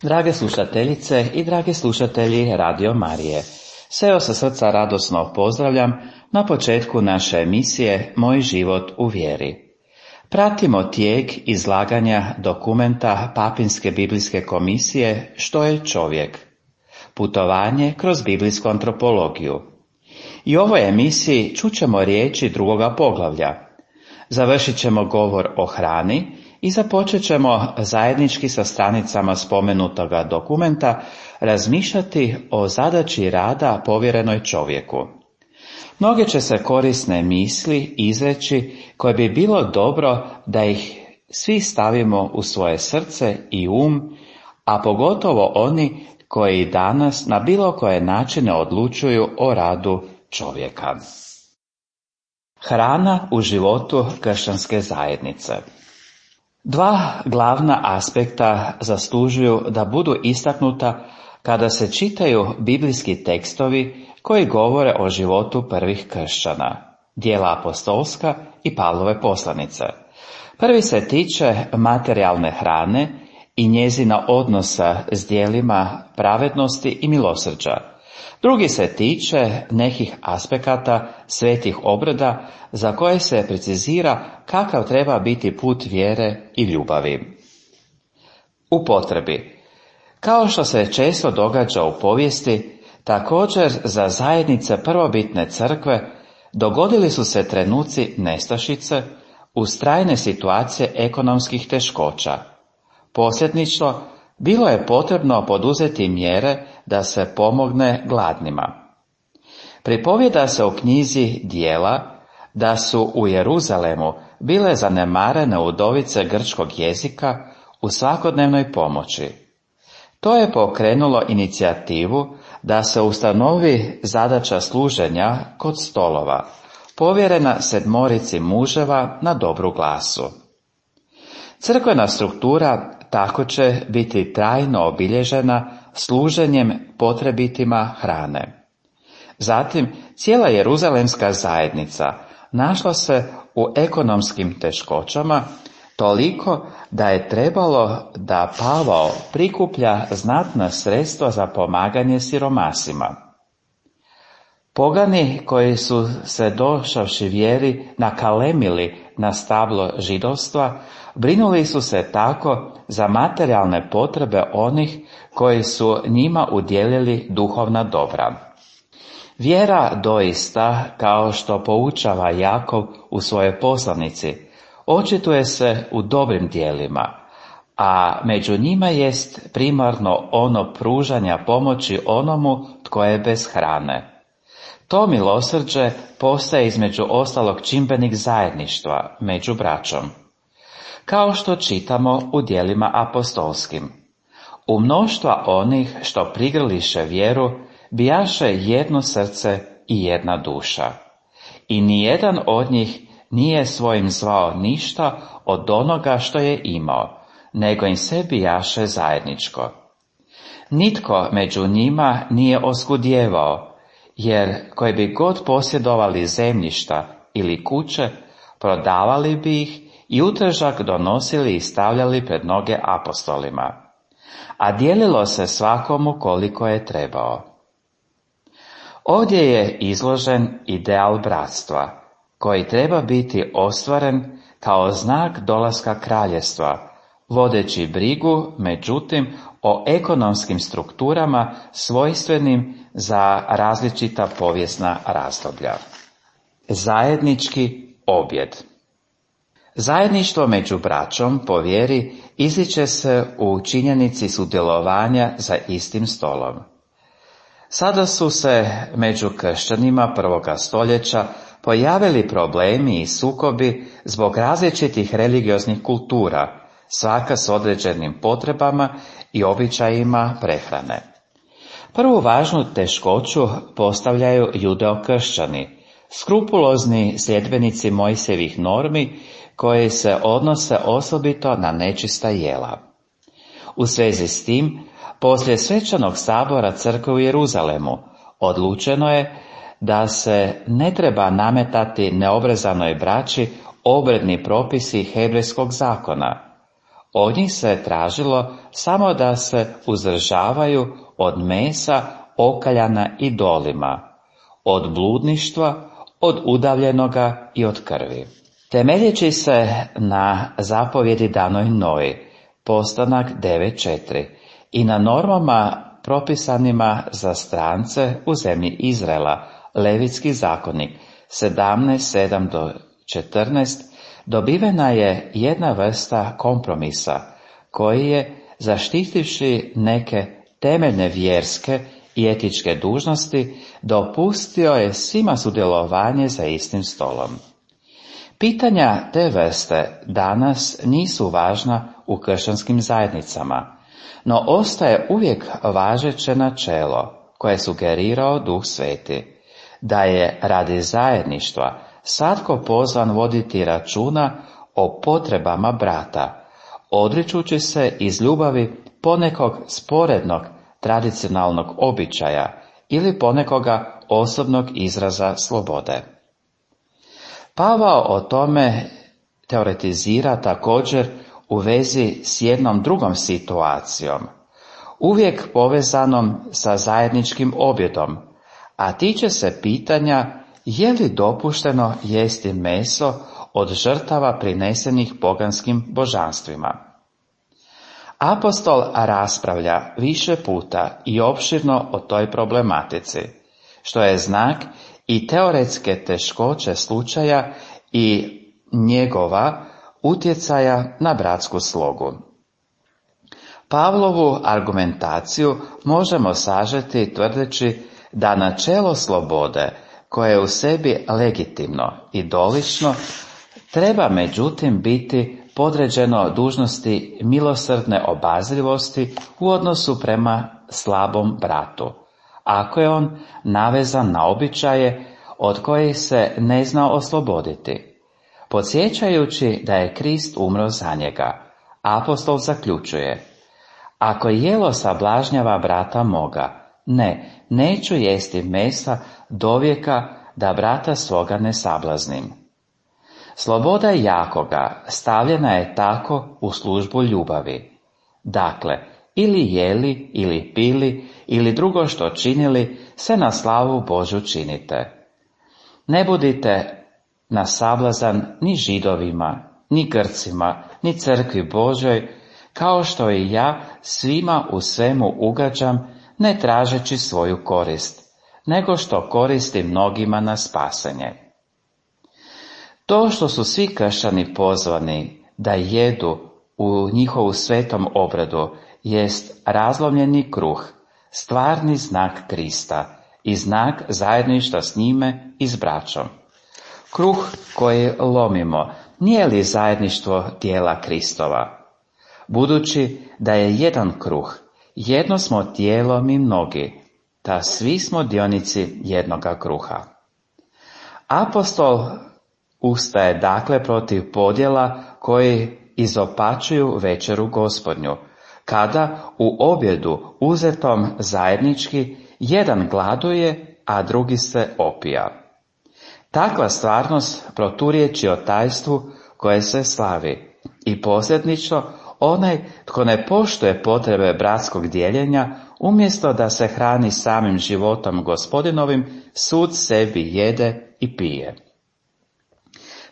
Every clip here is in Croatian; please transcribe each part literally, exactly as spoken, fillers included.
Drage slušateljice i dragi slušatelji Radio Marije, sve vas sa srca radosno pozdravljam na početku naše emisije Moj život u vjeri. Pratimo tijek izlaganja dokumenta Papinske biblijske komisije Što je čovjek? Putovanje kroz biblijsku antropologiju. I u ovoj emisiji čućemo riječi drugoga poglavlja. Završit ćemo govor o hrani i započet ćemo zajednički sa stranicama spomenutoga dokumenta razmišljati o zadaći rada povjerenoj čovjeku. Mnoge će se korisne misli izreći koje bi bilo dobro da ih svi stavimo u svoje srce i um, a pogotovo oni koji danas na bilo koje načine odlučuju o radu čovjeka. Hrana u životu kršćanske zajednice. Dva glavna aspekta zaslužuju da budu istaknuta kada se čitaju biblijski tekstovi koji govore o životu prvih kršćana, djela apostolska i Pavlove poslanice. Prvi se tiče materijalne hrane i njezina odnosa s djelima pravednosti i milosrđa. Drugi se tiče nekih aspekata svetih obreda za koje se precizira kakav treba biti put vjere i ljubavi. U potrebi. Kao što se često događa u povijesti, također za zajednice prvobitne crkve dogodili su se trenuci nestašice uz trajne situacije ekonomskih teškoća. Posljedično, bilo je potrebno poduzeti mjere da se pomogne gladnima. Pripovjeda se u knjizi Djela da su u Jeruzalemu bile zanemarene udovice grčkog jezika u svakodnevnoj pomoći. To je pokrenulo inicijativu da se ustanovi zadaća služenja kod stolova, povjerena sedmorici muževa na dobru glasu. Crkvena struktura tako će biti trajno obilježena služenjem potrebitima hrane. Zatim, cijela jeruzalemska zajednica našla se u ekonomskim teškoćama, toliko da je trebalo da Pavao prikuplja znatna sredstva za pomaganje siromasima. Pogani koji su se došavši vjeri nakalemili na stablo židovstva, brinuli su se tako za materijalne potrebe onih koji su njima udjelili duhovna dobra. Vjera doista, kao što poučava Jakov u svojoj poslanici, očituje se u dobrim djelima, a među njima jest primarno ono pružanja pomoći onomu tko je bez hrane. To milosrđe postaje između ostalog čimbenik zajedništva među braćom. Kao što čitamo u djelima apostolskim. U mnoštva onih što prigrliše vjeru, bijaše jedno srce i jedna duša. I nijedan od njih nije svojim zvao ništa od onoga što je imao, nego im sve bijaše zajedničko. Nitko među njima nije oskudijevao, jer koji bi god posjedovali zemljišta ili kuće, prodavali bi ih i utržak donosili i stavljali pred noge apostolima. A dijelilo se svakomu koliko je trebao. Ovdje je izložen ideal bratstva, koji treba biti ostvaren kao znak dolaska kraljevstva, vodeći brigu, međutim, o ekonomskim strukturama svojstvenim za različita povijesna razdoblja. Zajednički objed. Zajedništvo među braćom po vjeri ističe se u činjenici sudjelovanja za istim stolom. Sada su se među kršćanima prvoga stoljeća pojavili problemi i sukobi zbog različitih religioznih kultura, svaka s određenim potrebama i običajima prehrane. Prvu važnu teškoću postavljaju judeokršćani, skrupulozni sljedbenici Mojsijevih normi koje se odnose osobito na nečista jela. U svezi s tim, poslije svečanog sabora crkve u Jeruzalemu odlučeno je da se ne treba nametati neobrezanoj braći obredni propisi hebrejskog zakona. Od njih se tražilo samo da se uzdržavaju od mesa okaljana idolima, od bludništva, od udavljenoga i od krvi. Temeljeći se na zapovjedi danoj Noji, Postanak devet četiri, i na normama propisanima za strance u zemlji Izraela, Levitski zakonik sedamnaest sedam do četrnaest, dobivena je jedna vrsta kompromisa koji je, zaštitivši neke temeljne vjerske i etičke dužnosti, dopustio je svima sudjelovanje za istim stolom. Pitanja te vrste danas nisu važna u kršćanskim zajednicama, no ostaje uvijek važeće načelo koje je sugerirao Duh Sveti, da je radi zajedništva svatko pozvan voditi računa o potrebama brata, odričući se iz ljubavi ponekog sporednog tradicionalnog običaja ili ponekoga osobnog izraza slobode. Pavao o tome teoretizira također u vezi s jednom drugom situacijom, uvijek povezanom sa zajedničkim objedom, a tiče se pitanja je li dopušteno jesti meso od žrtava prinesenih poganskim božanstvima. Apostol raspravlja više puta i opširno o toj problematici, što je znak i teoretske teškoće slučaja i njegova utjecaja na bratsku slogu. Pavlovu argumentaciju možemo sažeti tvrdeći da načelo slobode, koje je u sebi legitimno i dolično, treba međutim biti podređeno dužnosti milosrdne obazrivosti u odnosu prema slabom bratu, ako je on navezan na običaje od kojih se ne zna osloboditi. Podsjećajući da je Krist umro za njega, apostol zaključuje: ako jelo sablažnjava brata moga, ne, neću jesti mesa dovijeka da brata svoga ne sablaznim. Sloboda jakoga stavljena je tako u službu ljubavi. Dakle, ili jeli, ili pili, ili drugo što činili, sve na slavu Božju činite. Ne budite na sablazan ni Židovima, ni Grcima, ni crkvi Božoj, kao što i ja svima u svemu ugađam, ne tražeći svoju korist, nego što koristi mnogima na spasenje. To što su svi kršćani pozvani da jedu u njihovu svetom obredu jest razlomljeni kruh, stvarni znak Krista i znak zajedništva s njime i s braćom. Kruh koji lomimo nije li zajedništvo tijela Kristova? Budući da je jedan kruh, jedno smo tijelo mi mnogi, ta svi smo dionici jednoga kruha. Apostol ustaje dakle protiv podjela koji izopačuju večeru Gospodnju, kada u objedu uzetom zajednički jedan gladuje, a drugi se opija. Takva stvarnost proturječi o tajstvu koje se slavi i posljedično onaj tko ne poštuje potrebe bratskog dijeljenja, umjesto da se hrani samim životom Gospodinovim, sud sebi jede i pije.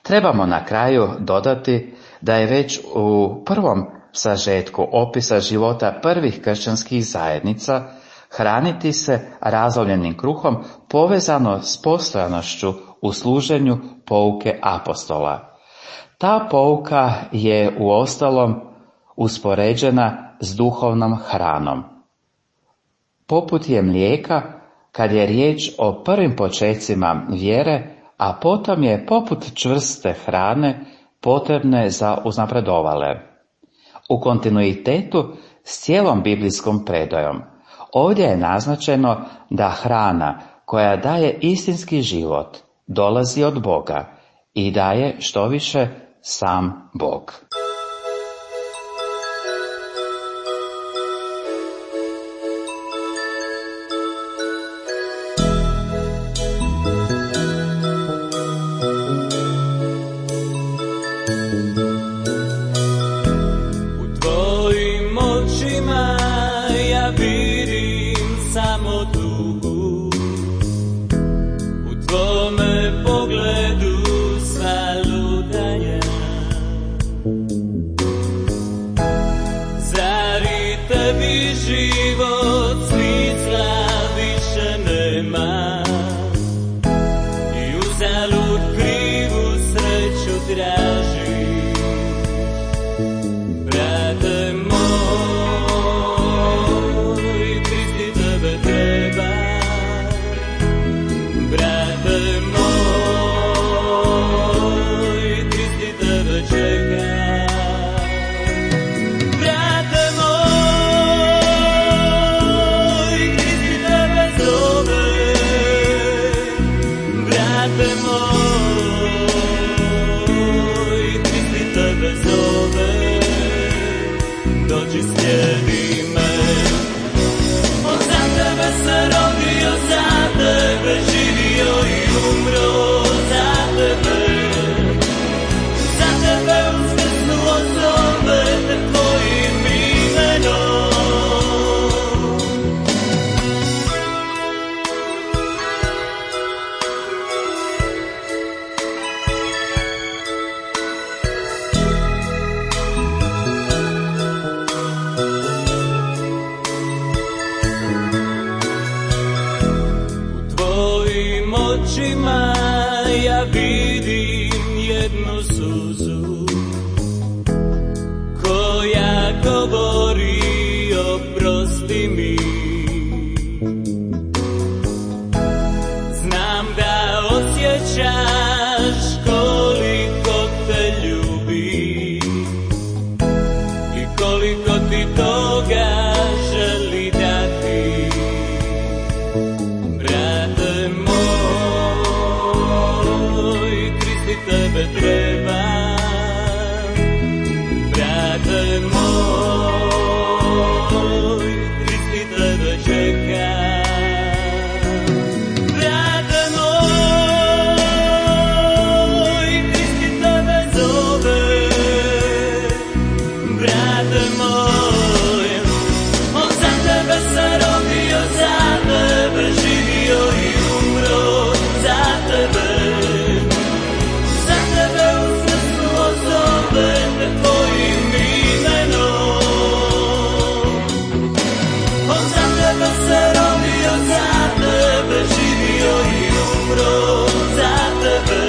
Trebamo na kraju dodati da je već u prvom sažetku opisa života prvih kršćanskih zajednica hraniti se razlovljenim kruhom povezano s postojanošću u služenju pouke apostola. Ta pouka je uostalom uspoređena s duhovnom hranom. Poput je mlijeka kad je riječ o prvim počecima vjere, a potom je poput čvrste hrane potrebne za uznapredovale. U kontinuitetu s cijelom biblijskom predajom ovdje je naznačeno da hrana koja daje istinski život dolazi od Boga i daje štoviše sam Bog. nema i uzalud krivu sreću tražiš. Brate moj, Kristi tebe treba. Brate moj, Kristi tebe čeka. Brate moj, Kristi tebe zove. Brate moj, Kristi tebe zove. Dođi slijedi me. On za tebe se rodio, za tebe živio i umro, za tebe. Za tebe uskrsnuo, zove te tvojim imenom. Tvojim očima ja vidim jednu suzu koja govori oprosti mi. Znam da osjećaš koliko te ljubi i koliko ti toga želi dati. Brate moj, Kristi tebe treba. Brate moj, Kristi tebe čeka. Brate moj, Kristi tebe zove. Brate moj, on za tebe se rodio, za tebe živio i umro, za tebe. Za tebe uskrsnuo, zove te tvojim imenom. On za tebe se rodio, za tebe živio i umro, za tebe.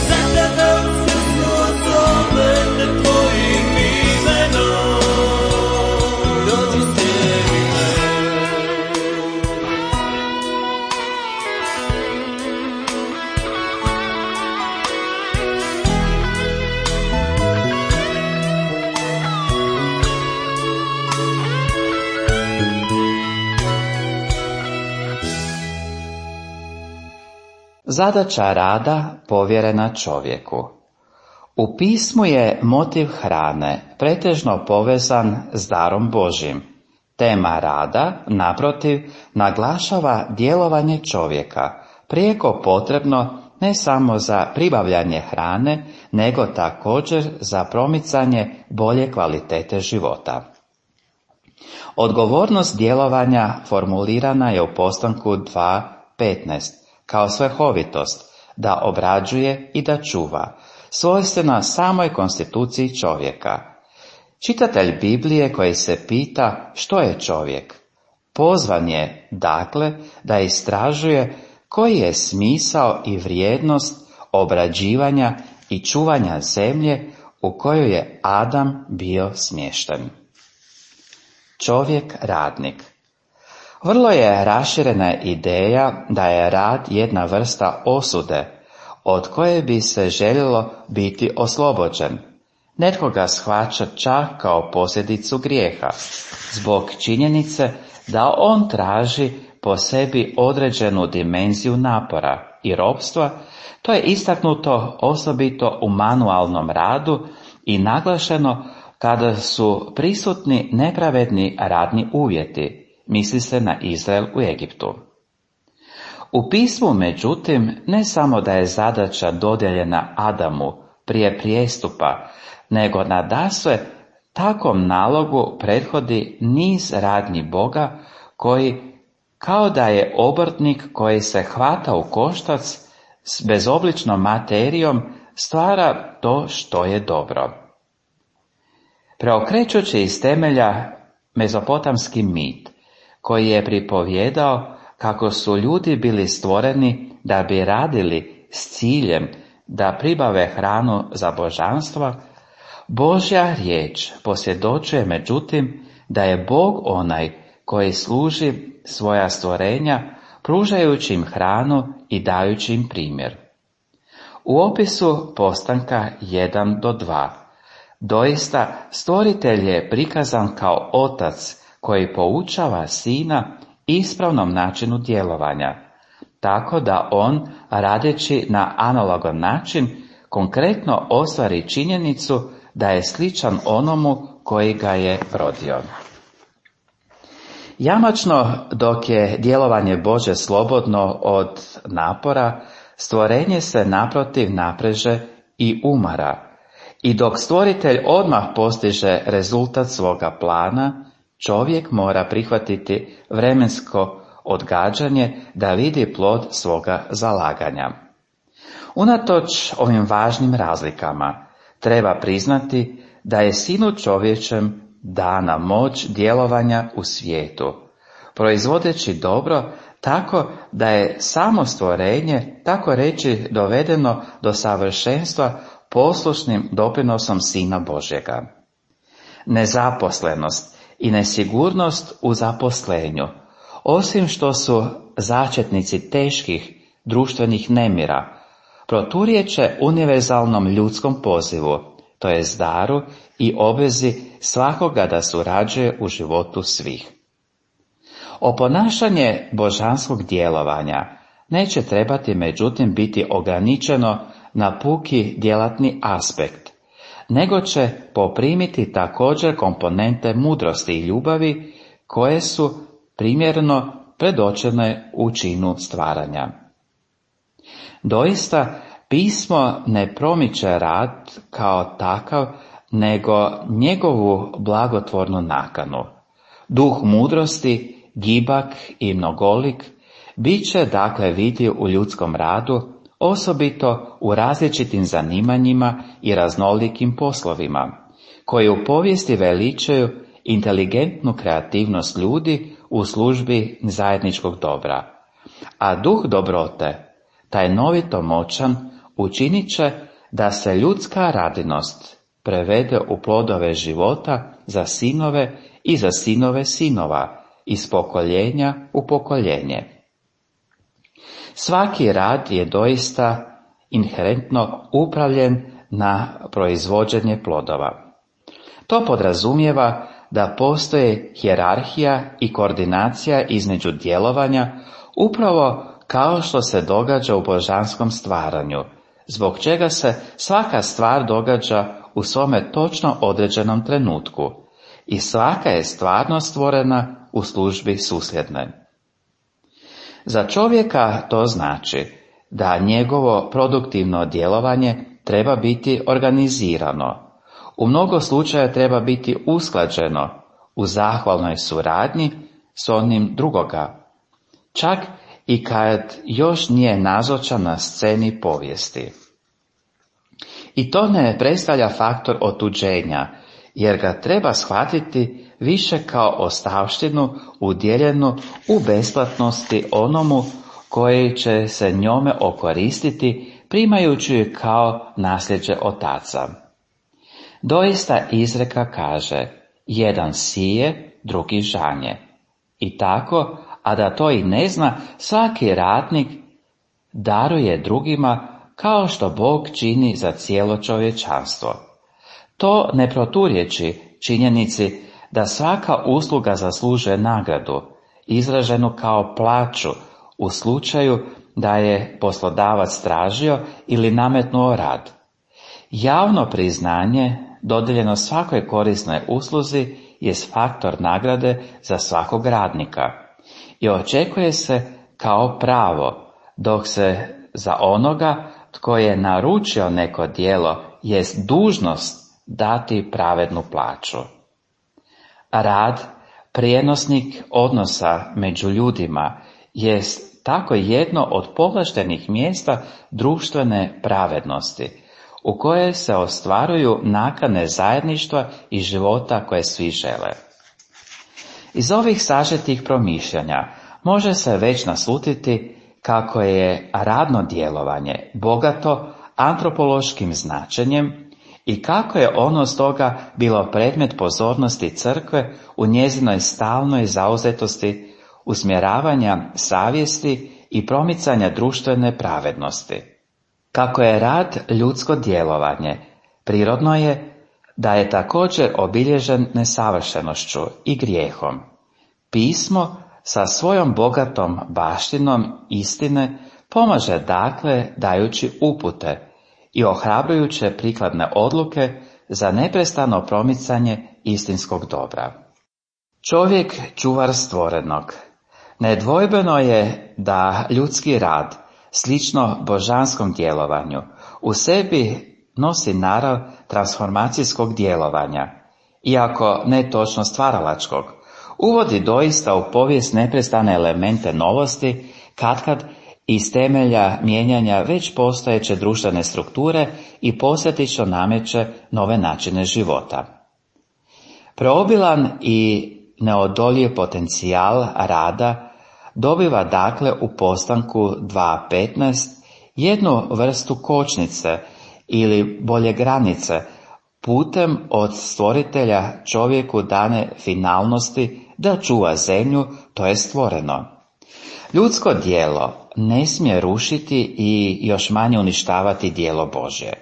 Za tebe uskrsnuo, zove te tvojim imenom. Dođi slijedi me. Zadaća rada povjerena čovjeku. U pismu je motiv hrane pretežno povezan s darom Božjim. Tema rada, naprotiv, naglašava djelovanje čovjeka, prijeko potrebno ne samo za pribavljanje hrane, nego također za promicanje bolje kvalitete života. Odgovornost djelovanja formulirana je u postanku dva petnaest kao svrhovitost, da obrađuje i da čuva, svojstvena samoj konstituciji čovjeka. Čitatelj Biblije koji se pita što je čovjek, pozvan je, dakle, da istražuje koji je smisao i vrijednost obrađivanja i čuvanja zemlje u kojoj je Adam bio smješten. Čovjek radnik. Vrlo je raširena ideja da je rad jedna vrsta osude, od koje bi se željelo biti oslobođen. Netko ga shvaća čak kao posljedicu grijeha, zbog činjenice da on traži po sebi određenu dimenziju napora i ropstva. To je istaknuto osobito u manualnom radu i naglašeno kada su prisutni nepravedni radni uvjeti, misli se na Izrael u Egiptu. U pismu, međutim, ne samo da je zadaća dodijeljena Adamu prije prijestupa, nego nadasve takvom nalogu prethodi niz radnji Boga koji, kao da je obrtnik koji se hvata u koštac s bezobličnom materijom, stvara to što je dobro. Preokrećući iz temelja mezopotamski mit, koji je pripovjedao kako su ljudi bili stvoreni da bi radili s ciljem da pribave hranu za božanstva, Božja riječ posvjedočuje međutim da je Bog onaj koji služi svoja stvorenja pružajući im hranu i dajući im primjer. U opisu postanka jedan do dva doista stvoritelj je prikazan kao otac koji poučava sina ispravnom načinu djelovanja, tako da on, radeći na analogan način, konkretno ostvari činjenicu da je sličan onomu koji ga je rodio. Jamačno, dok je djelovanje Bože slobodno od napora, stvorenje se naprotiv napreže i umara, i dok stvoritelj odmah postiže rezultat svoga plana, čovjek mora prihvatiti vremensko odgađanje da vidi plod svoga zalaganja. Unatoč ovim važnim razlikama, treba priznati da je Sinu čovječem dana moć djelovanja u svijetu, proizvodeći dobro tako da je samo stvorenje, tako reći, dovedeno do savršenstva poslušnim doprinosom Sina Božjega. Nezaposlenost i nesigurnost u zaposlenju, osim što su začetnici teških društvenih nemira, proturječe univerzalnom ljudskom pozivu, to je daru i obvezi svakoga da surađuje u životu svih. Oponašanje božanskog djelovanja neće trebati međutim biti ograničeno na puki djelatni aspekt, nego će poprimiti također komponente mudrosti i ljubavi koje su primjerno predočene u činu stvaranja. Doista, pismo ne promiče rad kao takav, nego njegovu blagotvornu nakanu. Duh mudrosti, gibak i mnogolik bit će dakle vidljiv u ljudskom radu, osobito u različitim zanimanjima i raznolikim poslovima, koji u povijesti veličaju inteligentnu kreativnost ljudi u službi zajedničkog dobra. A duh dobrote, taj novito moćan, učinit će da se ljudska radinost prevede u plodove života za sinove i za sinove sinova, iz pokoljenja u pokoljenje. Svaki rad je doista inherentno upravljen na proizvođenje plodova. To podrazumijeva da postoji hijerarhija i koordinacija između djelovanja, upravo kao što se događa u božanskom stvaranju, zbog čega se svaka stvar događa u svome točno određenom trenutku i svaka je stvarno stvorena u službi susljedne. Za čovjeka to znači da njegovo produktivno djelovanje treba biti organizirano, u mnogo slučaja treba biti usklađeno u zahvalnoj suradnji s onim drugoga, čak i kad još nije nazočan na sceni povijesti. I to ne predstavlja faktor otuđenja, jer ga treba shvatiti više kao ostavštinu udjeljenu u besplatnosti onomu koji će se njome okoristiti, primajući ju kao nasljeđe otaca. Doista izreka kaže, jedan sije, drugi žanje. I tako, a da to i ne zna, svaki ratnik daruje drugima kao što Bog čini za cijelo čovječanstvo. To ne proturječi činjenici da svaka usluga zaslužuje nagradu, izraženu kao plaću u slučaju da je poslodavac tražio ili nametnuo rad. Javno priznanje dodijeljeno svakoj korisnoj usluzi jest faktor nagrade za svakog radnika i očekuje se kao pravo, dok se za onoga tko je naručio neko djelo jest dužnost dati pravednu plaću. Rad, prijenosnik odnosa među ljudima, jest tako jedno od povlaštenih mjesta društvene pravednosti, u koje se ostvaruju nakane zajedništva i života koje svi žele. Iz ovih sažetih promišljanja može se već naslutiti kako je radno djelovanje bogato antropološkim značenjem i kako je ono stoga bilo predmet pozornosti crkve u njezinoj stalnoj zauzetosti usmjeravanja savjesti i promicanja društvene pravednosti. Kako je rad ljudsko djelovanje, prirodno je da je također obilježen nesavršenošću i grijehom. Pismo sa svojom bogatom baštinom istine pomaže dakle dajući upute i ohrabrujuće prikladne odluke za neprestano promicanje istinskog dobra. Čovjek čuvar stvorenog. Nedvojbeno je da ljudski rad, slično božanskom djelovanju, u sebi nosi narav transformacijskog djelovanja, iako ne točno stvaralačkog, uvodi doista u povijest neprestane elemente novosti, katkad iz temelja mijenjanja već postojeće društvene strukture i posljedično nameće nove načine života. Preobilan i neodoljiv potencijal rada dobiva dakle u postanku dva petnaest jednu vrstu kočnice ili bolje granice putem od stvoritelja čovjeku dane finalnosti da čuva zemlju, to je stvoreno. Ljudsko djelo ne smije rušiti i još manje uništavati djelo Božje.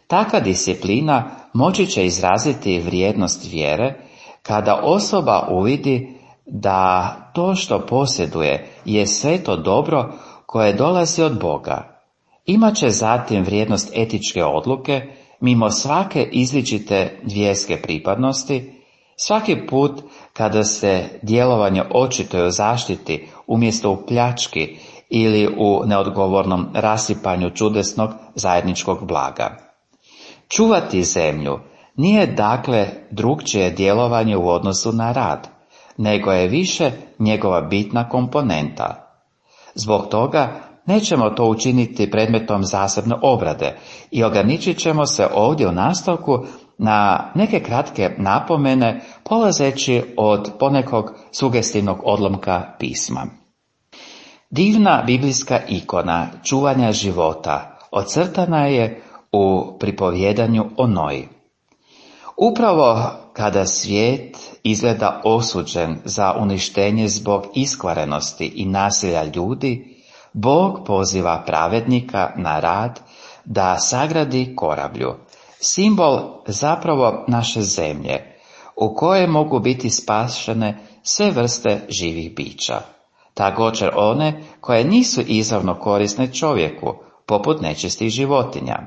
Takva disciplina moći će izraziti vrijednost vjere kada osoba uvidi da to što posjeduje je sveto dobro koje dolazi od Boga. Imaće zatim vrijednost etičke odluke mimo svake izričite vjerske pripadnosti, svaki put kada se djelovanje očituje u zaštiti umjesto u pljački ili u neodgovornom rasipanju čudesnog zajedničkog blaga. Čuvati zemlju nije dakle drukčije djelovanje u odnosu na rad, nego je više njegova bitna komponenta. Zbog toga nećemo to učiniti predmetom zasebne obrade i ograničit ćemo se ovdje u nastavku na neke kratke napomene polazeći od ponekog sugestivnog odlomka pisma. Divna biblijska ikona čuvanja života ocrtana je u pripovjedanju o Noji. Upravo kada svijet izgleda osuđen za uništenje zbog iskvarenosti i nasilja ljudi, Bog poziva pravednika na rad da sagradi korablju, simbol zapravo naše zemlje, u kojoj mogu biti spašene sve vrste živih bića, također one koje nisu izravno korisne čovjeku, poput nečistih životinja.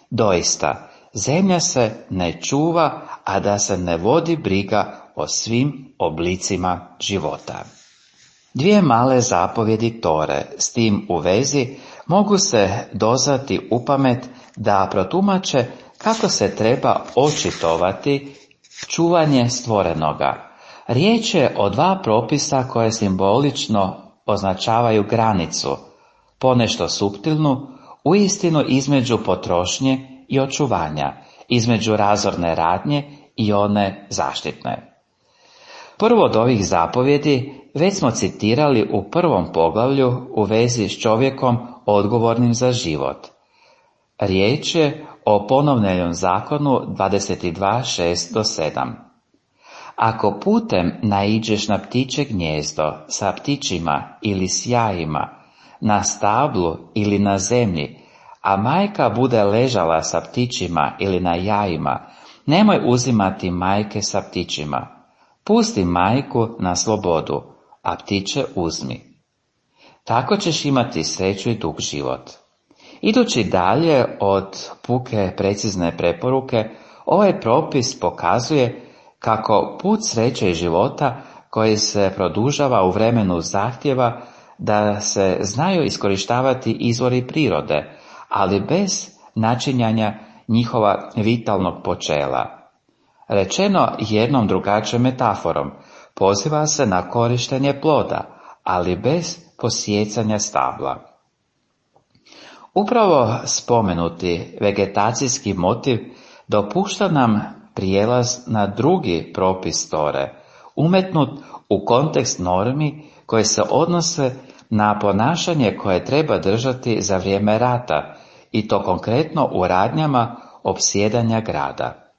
Doista, zemlja se ne čuva, a da se ne vodi briga o svim oblicima života. Dvije male zapovjedi Tore s tim u vezi mogu se dozvati upamet da protumače kako se treba očitovati čuvanje stvorenoga. Riječ je o dva propisa koje simbolično označavaju granicu, ponešto suptilnu, uistinu između potrošnje i očuvanja, između razorne radnje i one zaštitne. Prvo od ovih zapovjedi već smo citirali u prvom poglavlju u vezi s čovjekom odgovornim za život. Riječ je o ponovljenom zakonu dvadeset dva šest do sedam. Ako putem naiđeš na ptiče gnijezdo sa ptičima ili s jajima, na stablu ili na zemlji, a majka bude ležala sa ptičima ili na jajima, nemoj uzimati majke sa ptičima. Pusti majku na slobodu, a ptiće uzmi. Tako ćeš imati sreću i dug život. Idući dalje od puke precizne preporuke, ovaj propis pokazuje kako put sreće i života koji se produžava u vremenu zahtjeva da se znaju iskorištavati izvori prirode, ali bez načinjanja njihova vitalnog počela. Rečeno jednom drugačijom metaforom, poziva se na korištenje ploda, ali bez posijecanja stabla. Upravo spomenuti vegetacijski motiv dopušta nam prijelaz na drugi propis Tore, umetnut u kontekst normi koje se odnose na ponašanje koje treba držati za vrijeme rata, i to konkretno u radnjama opsjedanja grada.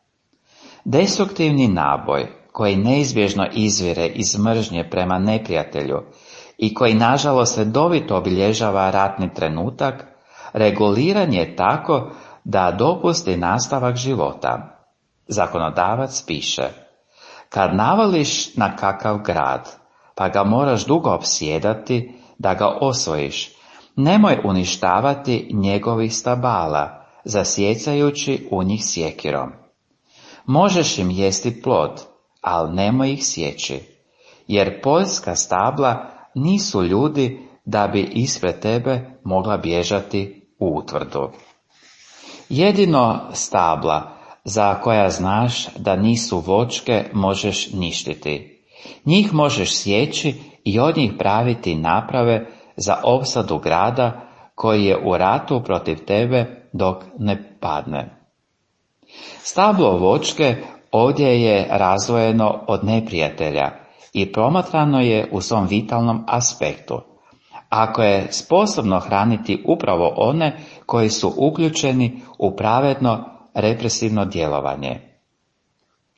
Destruktivni naboj, koji neizbježno izvire iz mržnje prema neprijatelju i koji nažalost redovito obilježava ratni trenutak, reguliran je tako da dopusti nastavak života. Zakonodavac piše: kad navališ na kakav grad, pa ga moraš dugo opsjedati da ga osvojiš, nemoj uništavati njegovih stabala, zasjecajući u njih sjekirom. Možeš im jesti plod, ali nemoj ih sjeći, jer poljska stabla nisu ljudi da bi ispred tebe mogla bježati u utvrdu. Jedino stabla za koja znaš da nisu voćke možeš ništiti. Njih možeš sjeći i od njih praviti naprave za opsadu grada koji je u ratu protiv tebe dok ne padne. Stablo voćke ovdje je razdvojeno od neprijatelja i promatrano je u svom vitalnom aspektu. Ako je sposobno hraniti upravo one koji su uključeni u pravedno represivno djelovanje.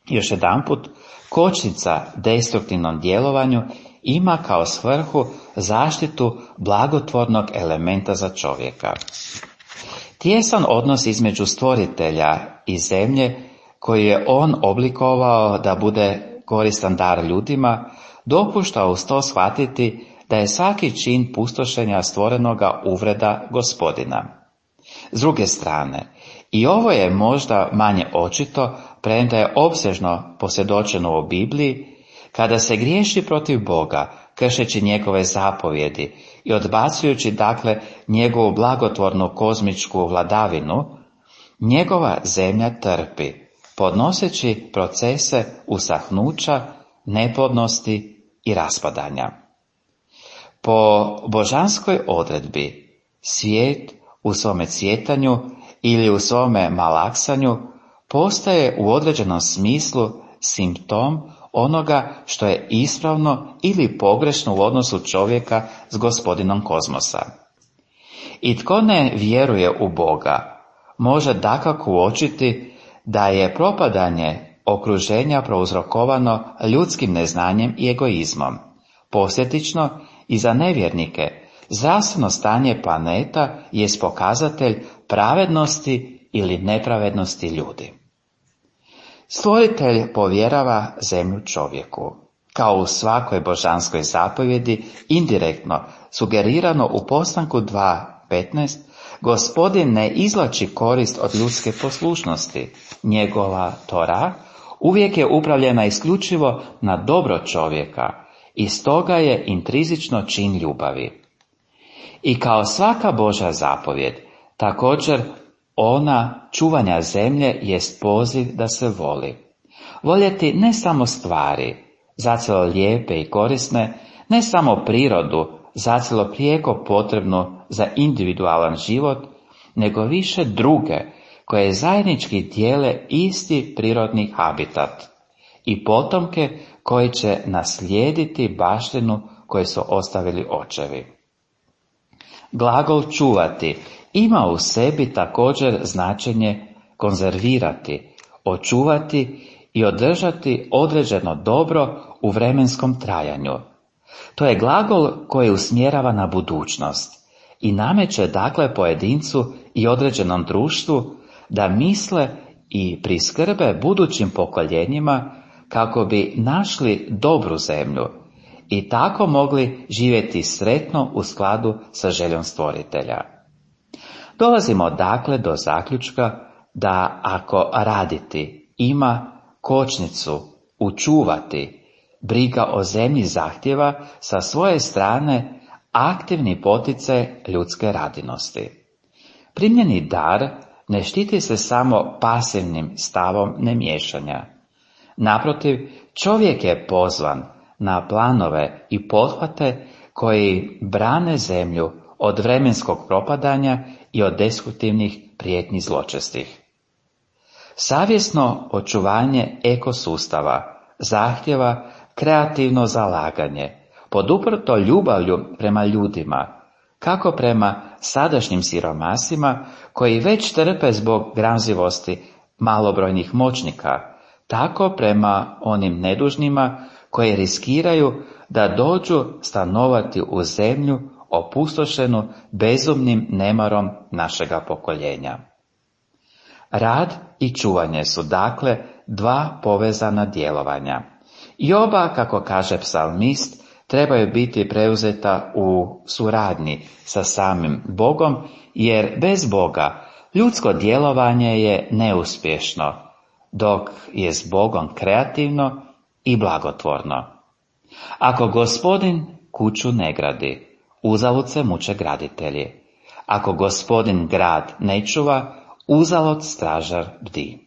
Još jedanput, kočnica destruktivnom djelovanju ima kao svrhu zaštitu blagotvornog elementa za čovjeka. Tijesan odnos između stvoritelja i zemlje, koji je on oblikovao da bude koristan dar ljudima, dopušta uz to shvatiti da je svaki čin pustošenja stvorenoga uvreda Gospodina. S druge strane, i ovo je možda manje očito, premda je opsežno posvjedočeno u Bibliji, kada se griješi protiv Boga, kršeći njegove zapovjedi i odbacujući dakle njegovu blagotvornu kozmičku vladavinu, njegova zemlja trpi, podnoseći procese usahnuća, neplodnosti i raspadanja. Po božanskoj odredbi, svijet u svome cvjetanju ili u svome malaksanju postaje u određenom smislu simptom onoga što je ispravno ili pogrešno u odnosu čovjeka s Gospodinom kozmosa. I tko ne vjeruje u Boga, može dakako uočiti da je propadanje okruženja prouzrokovano ljudskim neznanjem i egoizmom. Posljedično, i za nevjernike, zdravstveno stanje planeta jest pokazatelj pravednosti ili nepravednosti ljudi. Stvoritelj povjerava zemlju čovjeku. Kao u svakoj božanskoj zapovjedi, indirektno, sugerirano u postanku dva petnaest, Gospodin ne izvlači korist od ljudske poslušnosti. Njegova Tora uvijek je upravljena isključivo na dobro čovjeka i stoga je intrizično čin ljubavi. I kao svaka Božja zapovjed, također ona čuvanja zemlje jest poziv da se voli. Voljeti ne samo stvari, zacelo lijepe i korisne, ne samo prirodu, zacelo prijeko potrebnu za individualan život, nego više druge, koje zajednički dijele isti prirodni habitat i potomke koji će naslijediti baštinu koju su ostavili očevi. Glagol čuvati ima u sebi također značenje konzervirati, očuvati i održati određeno dobro u vremenskom trajanju. To je glagol koji usmjerava na budućnost i nameće dakle pojedincu i određenom društvu da misle i priskrbe budućim pokoljenjima kako bi našli dobru zemlju i tako mogli živjeti sretno u skladu sa željom stvoritelja. Dolazimo dakle do zaključka da ako raditi ima kočnicu učuvati, briga o zemlji zahtjeva sa svoje strane aktivni poticaj ljudske radinosti. Primljeni dar ne štiti se samo pasivnim stavom nemiješanja. Naprotiv, čovjek je pozvan na planove i pothvate koji brane zemlju od vremenskog propadanja i od destruktivnih prijetnji zločestih. Savjesno očuvanje ekosustava zahtjeva kreativno zalaganje, poduprto ljubavlju prema ljudima, kako prema sadašnjim siromasima koji već trpe zbog gramzivosti malobrojnih moćnika, tako prema onim nedužnima koji riskiraju da dođu stanovati u zemlju opustošenu bezumnim nemarom našega pokoljenja. Rad i čuvanje su dakle dva povezana djelovanja. I oba, kako kaže psalmist, trebaju biti preuzeta u suradnji sa samim Bogom, jer bez Boga ljudsko djelovanje je neuspješno, dok je s Bogom kreativno i blagotvorno. Ako Gospodin kuću ne gradi, uzalud se muče graditelji. Ako Gospodin grad ne čuva, uzalud stražar bdi.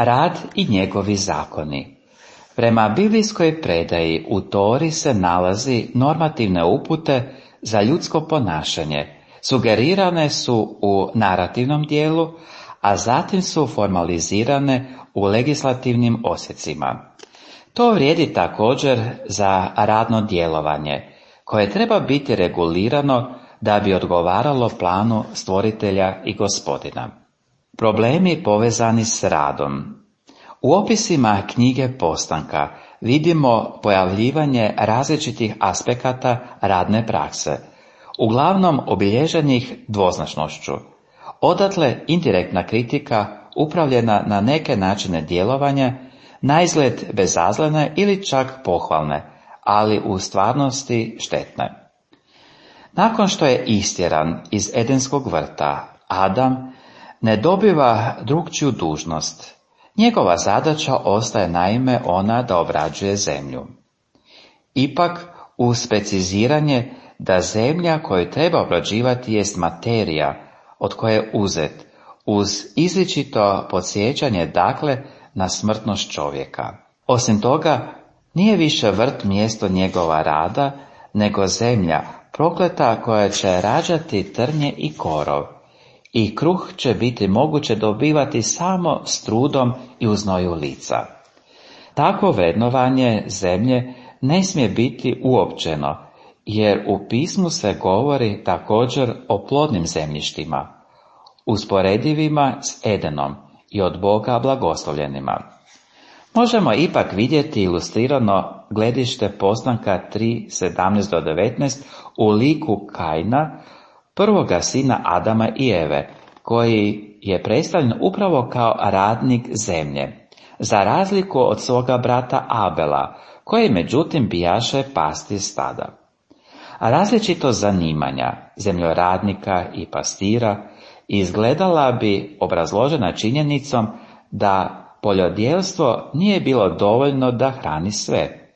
Rad i njegovi zakoni. Prema biblijskoj predaji u Tori se nalazi normativne upute za ljudsko ponašanje. Sugerirane su u narativnom dijelu, a zatim su formalizirane u legislativnim osjecima. To vrijedi također za radno djelovanje, koje treba biti regulirano da bi odgovaralo planu stvoritelja i Gospodina. Problemi povezani s radom. U opisima knjige Postanka vidimo pojavljivanje različitih aspekata radne prakse, uglavnom obilježenih dvoznačnošću. Odatle indirektna kritika upravljena na neke načine djelovanja, naizgled bezazlene ili čak pohvalne, ali u stvarnosti štetne. Nakon što je istjeran iz Edenskog vrta, Adam ne dobiva drukčiju dužnost. Njegova zadaća ostaje naime ona da obrađuje zemlju. Ipak, uz preciziranje da zemlja koju treba obrađivati jest materija od koje je uzet, uz izričito podsjećanje dakle na smrtnost čovjeka. Osim toga, nije više vrt mjesto njegova rada, nego zemlja prokleta koja će rađati trnje i korov, i kruh će biti moguće dobivati samo s trudom i u znoju lica. Takvo vrednovanje zemlje ne smije biti uopćeno, jer u pismu se govori također o plodnim zemljištima, usporedivima s Edenom i od Boga blagoslovljenima. Možemo ipak vidjeti ilustrirano gledište Postanka tri sedamnaest do devetnaest u liku Kaina, prvoga sina Adama i Eve, koji je predstavljen upravo kao radnik zemlje, za razliku od svoga brata Abela, koji međutim bijaše pastir stada. A različito zanimanja zemljoradnika i pastira izgledala bi obrazložena činjenicom da poljodjelstvo nije bilo dovoljno da hrani sve.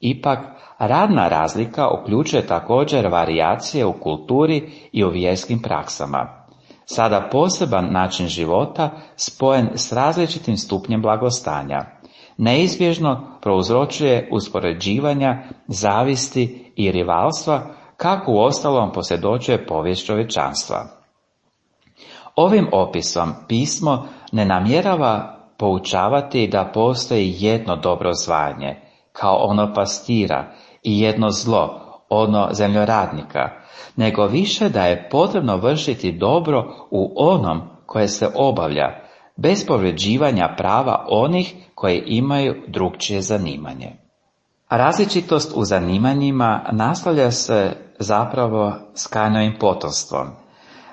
Ipak, radna razlika uključuje također varijacije u kulturi i u vjerskim praksama. Sada poseban način života spojen s različitim stupnjem blagostanja neizbježno prouzročuje uspoređivanja, zavisti i rivalstva, kako uostalom posvjedočuje povijest čovječanstva. Ovim opisom pismo ne namjerava poučavati da postoji jedno dobro zvanje, kao ono pastira, i jedno zlo, ono zemljoradnika, nego više da je potrebno vršiti dobro u onom koje se obavlja, bez povređivanja prava onih koji imaju drukčije zanimanje. Različitost u zanimanjima nastavlja se zapravo s Kainovim potomstvom.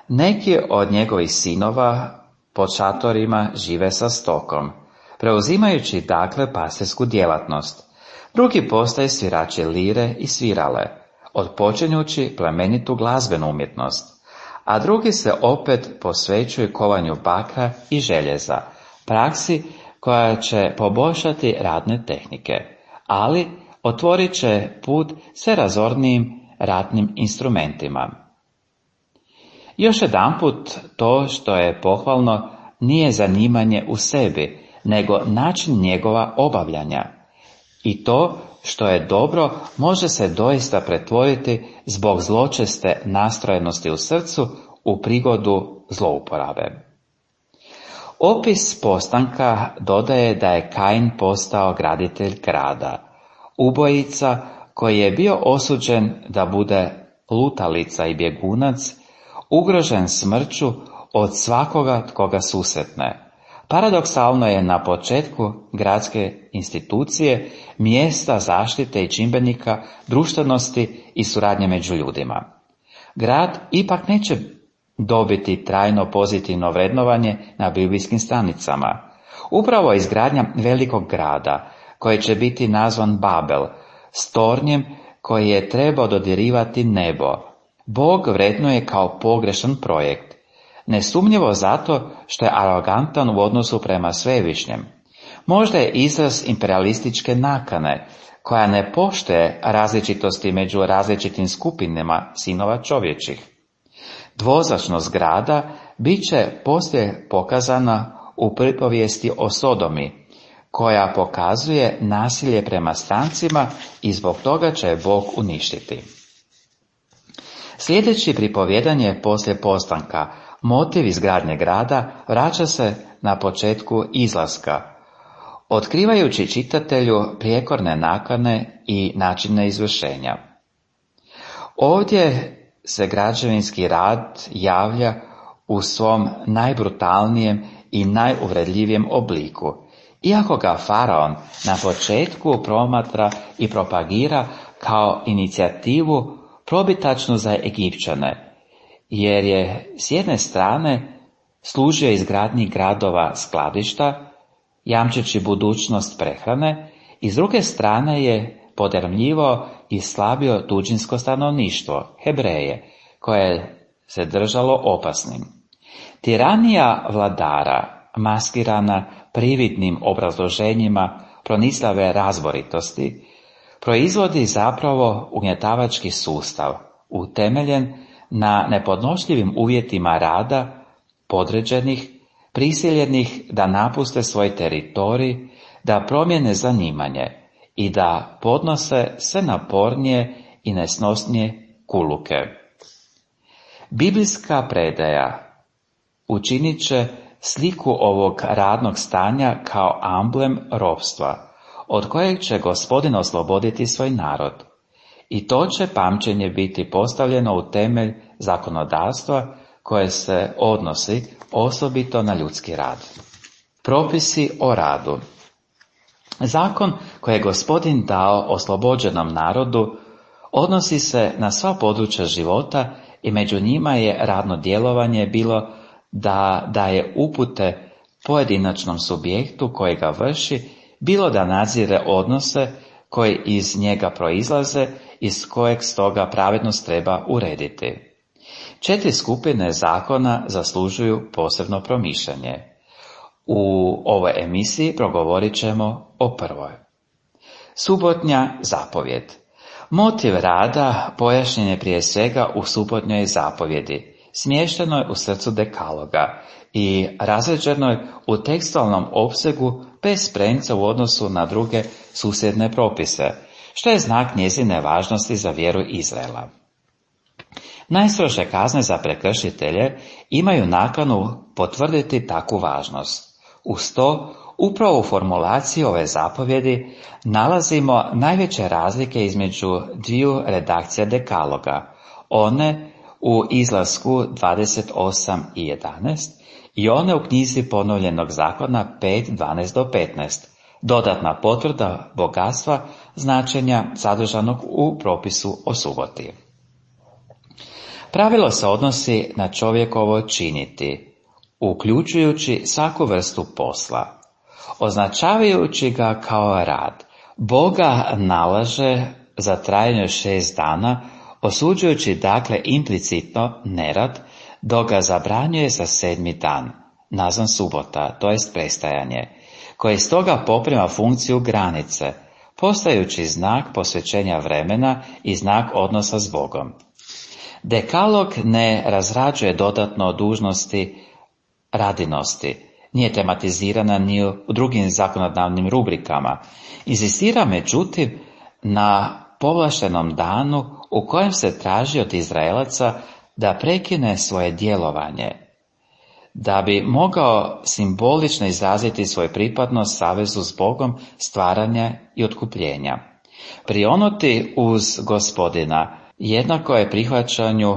Neki od njegovih sinova pod šatorima žive sa stokom, preuzimajući dakle pastirsku djelatnost. Drugi postaju svirači lire i svirale, odpočinjući plemenitu glazbenu umjetnost, a drugi se opet posvećuju kovanju bakra i željeza, praksi koja će poboljšati radne tehnike, ali otvorit će put sve razornijim ratnim instrumentima. Još jedanput, to što je pohvalno nije zanimanje u sebi, nego način njegova obavljanja. I to što je dobro može se doista pretvoriti zbog zločeste nastrojenosti u srcu u prigodu zlouporabe. Opis postanka dodaje da je Kain postao graditelj grada, ubojica koji je bio osuđen da bude lutalica i bjegunac, ugrožen smrću od svakoga tko ga susretne. Paradoksalno je na početku gradske institucije mjesta zaštite i čimbenika društvenosti i suradnje među ljudima. Grad ipak neće dobiti trajno pozitivno vrednovanje na biblijskim stranicama. Upravo izgradnja velikog grada, koji će biti nazvan Babel, s tornjem koji je trebao dodirivati nebo, Bog vrednuje kao pogrešan projekt. Nesumnjivo zato što je arogantan u odnosu prema svevišnjem. Možda je izraz imperialističke nakane, koja ne poštuje različitosti među različitim skupinama sinova čovječih. Dvoznačnost grada bit će poslije pokazana u pripovijesti o Sodomi, koja pokazuje nasilje prema strancima i zbog toga će je Bog uništiti. Sljedeći pripovjedanje poslije postanka, motiv izgradnje grada, vraća se na početku izlaska, otkrivajući čitatelju prijekorne nakane i načine izvršenja. Ovdje se građevinski rad javlja u svom najbrutalnijem i najuvredljivijem obliku Iako ga faraon na početku promatra i propagira kao inicijativu probitačnu za Egipćane, jer je s jedne strane služio izgradnji gradova skladišta, jamčeći budućnost prehrane, i s druge strane je podrmljivao i slabio tuđinsko stanovništvo, Hebreje, koje se držalo opasnim. Tiranija vladara, maskirana prividnim obrazloženjima pronislave razboritosti, proizvodi zapravo ugnjetavački sustav, utemeljen na nepodnošljivim uvjetima rada podređenih, prisiljenih da napuste svoj teritorij, da promijene zanimanje i da podnose sve napornije i nesnosnije kuluke. Biblijska predaja učinit će sliku ovog radnog stanja kao amblem ropstva, od kojeg će Gospodin osloboditi svoj narod. I to će pamćenje biti postavljeno u temelj zakonodavstva koje se odnosi osobito na ljudski rad. Propisi o radu. Zakon koji je Gospodin dao oslobođenom narodu odnosi se na sva područja života i među njima je radno djelovanje bilo da daje upute pojedinačnom subjektu koji ga vrši, bilo da nadzire odnose koji iz njega proizlaze, iz kojeg stoga pravednost treba urediti. Četiri skupine zakona zaslužuju posebno promišljanje. U ovoj emisiji progovorit ćemo o prvoj. Subotnja zapovjed. Motiv rada pojašnjen je prije svega u subotnjoj zapovjedi, smještenoj u srcu dekaloga i razređenoj u tekstualnom opsegu bez premca u odnosu na druge susjedne propise, što je znak njezine važnosti za vjeru Izraela. Najstrože kazne za prekršitelje imaju nakanu potvrditi takvu važnost. Uz to, upravo u formulaciji ove zapovjedi nalazimo najveće razlike između dviju redakcija dekaloga, one u izlasku dvadeset osam i jedanaest i one u knjizi ponovljenog zakona pet, dvanaest do petnaest, dodatna potvrda bogatstva značenja sadržanog u propisu o suboti. Pravilo se odnosi na čovjekovo činiti, uključujući svaku vrstu posla. Označavajući ga kao rad, Boga nalaže za trajanje šest dana, osuđujući dakle implicitno nerad, dok ga zabranjuje za sedmi dan, nazvan subota, to jest prestajanje, koji stoga poprima funkciju granice, postajući znak posvećenja vremena i znak odnosa s Bogom. Dekalog ne razrađuje dodatno dužnosti radinosti, nije tematizirana ni u drugim zakonodavnim rubrikama. Inzistira međutim na povlaštenom danu u kojem se traži od Izraelaca da prekine svoje djelovanje, da bi mogao simbolično izraziti svoju pripadnost savezu s Bogom, stvaranja i otkupljenja. Prionuti uz Gospodina jednako je prihvaćanju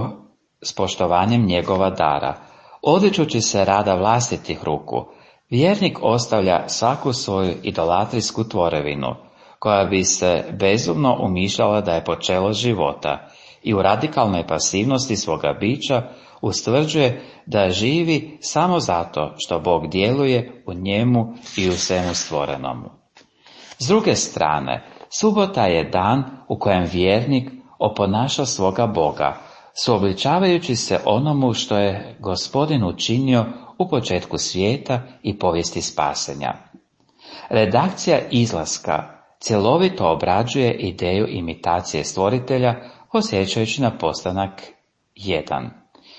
s poštovanjem njegova dara. Odričući se rada vlastitih ruku, vjernik ostavlja svaku svoju idolatrijsku tvorevinu, koja bi se bezumno umišljala da je počelo života, i u radikalnoj pasivnosti svoga bića ustvrđuje da živi samo zato što Bog djeluje u njemu i u svemu stvorenomu. S druge strane, subota je dan u kojem vjernik oponaša svoga Boga, suobličavajući se onomu što je Gospodin učinio u početku svijeta i povijesti spasenja. Redakcija izlaska cjelovito obrađuje ideju imitacije stvoritelja, osjećajući na postanak jedan,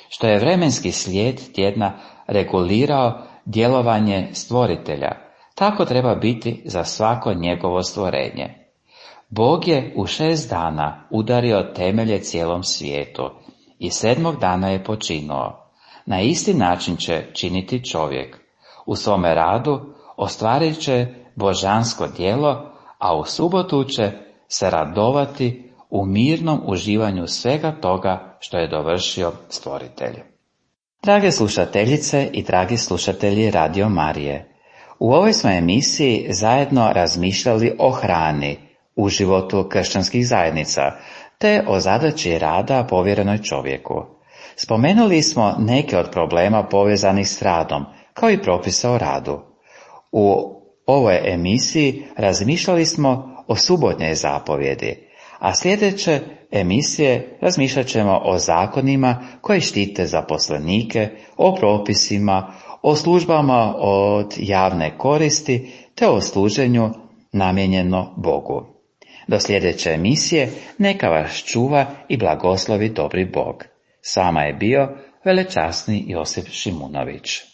što je vremenski slijed tjedna regulirao djelovanje stvoritelja. Tako treba biti za svako njegovo stvorenje. Bog je u šest dana udario temelje cijelom svijetu i sedmog dana je počinuo. Na isti način će činiti čovjek. U svome radu ostvarit će božansko djelo, a u subotu će se radovati u mirnom uživanju svega toga što je dovršio stvoritelj. Drage slušateljice i dragi slušatelji Radio Marije, U ovoj smo emisiji zajedno razmišljali o hrani u životu kršćanskih zajednica, te o zadaći rada povjerenoj čovjeku. Spomenuli smo neke od problema povezanih s radom, kao i propisa o radu. U ovoj emisiji razmišljali smo o subotnjoj zapovjedi, a sljedeće emisije razmišljat ćemo o zakonima koji štite zaposlenike, o propisima, o službama od javne koristi te o služenju namijenjeno Bogu. Do sljedeće emisije neka vas čuva i blagoslovi dobri Bog. S vama je bio velečasni Josip Šimunović.